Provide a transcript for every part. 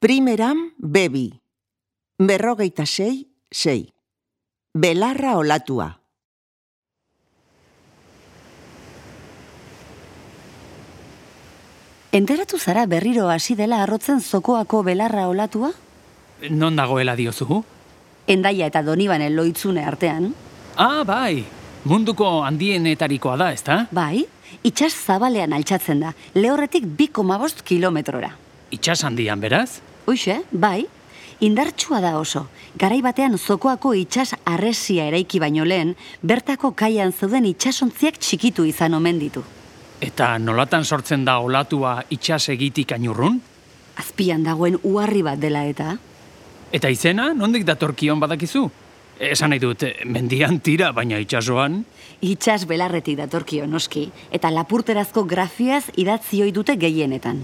Primeran bebi, 46,6. Belarra olatua. Enteratu zara berriro hasi dela arrotzen zokoako belarra olatua? Non dagoela diozu? Hendaia eta Donibanen loitzune artean. Ah, bai, munduko handienetarikoa da, ezta? Bai, itsas zabalean altxatzen da, lehorretik 2,5 kilometrora. Itsas handian, beraz? Hoxe, bai, indartsua da oso. Garai batean zokoako itsas harresia eraiki baino lehen, bertako kaian zeuden itsasontziak txikitu izan omen ditu. Eta nolatan sortzen da olatua itsas egitik ainurrun? Azpian dagoen uharri bat dela eta... Eta izena, nondik datorkion badakizu? Esan nahi dut, mendian tira, baina itsasoan... Itsas belarretik datorkio noski, eta lapurterazko grafiaz idatzi ohi dute gehienetan.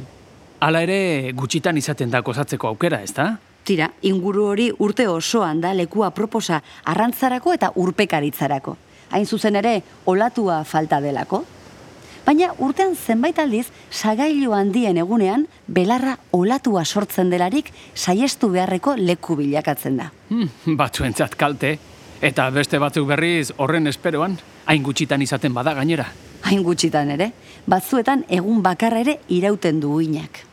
Hala ere, gutxitan izaten da gozatzeko aukera, ezta? Tira, inguru hori urte osoan da lekua proposa arrantzarako eta urpekaritzarako. Hain zuzen ere, olatua falta delako. Baina urtean zenbait aldiz, sagailu handien egunean, belarra olatua sortzen delarik saiestu beharreko leku bilakatzen da. Batzuentzat kalte, eta beste batzuk berriz horren esperoan, hain gutxitan izaten bada gainera. Hain gutxitan ere, batzuetan egun bakarra ere irauten du uinak.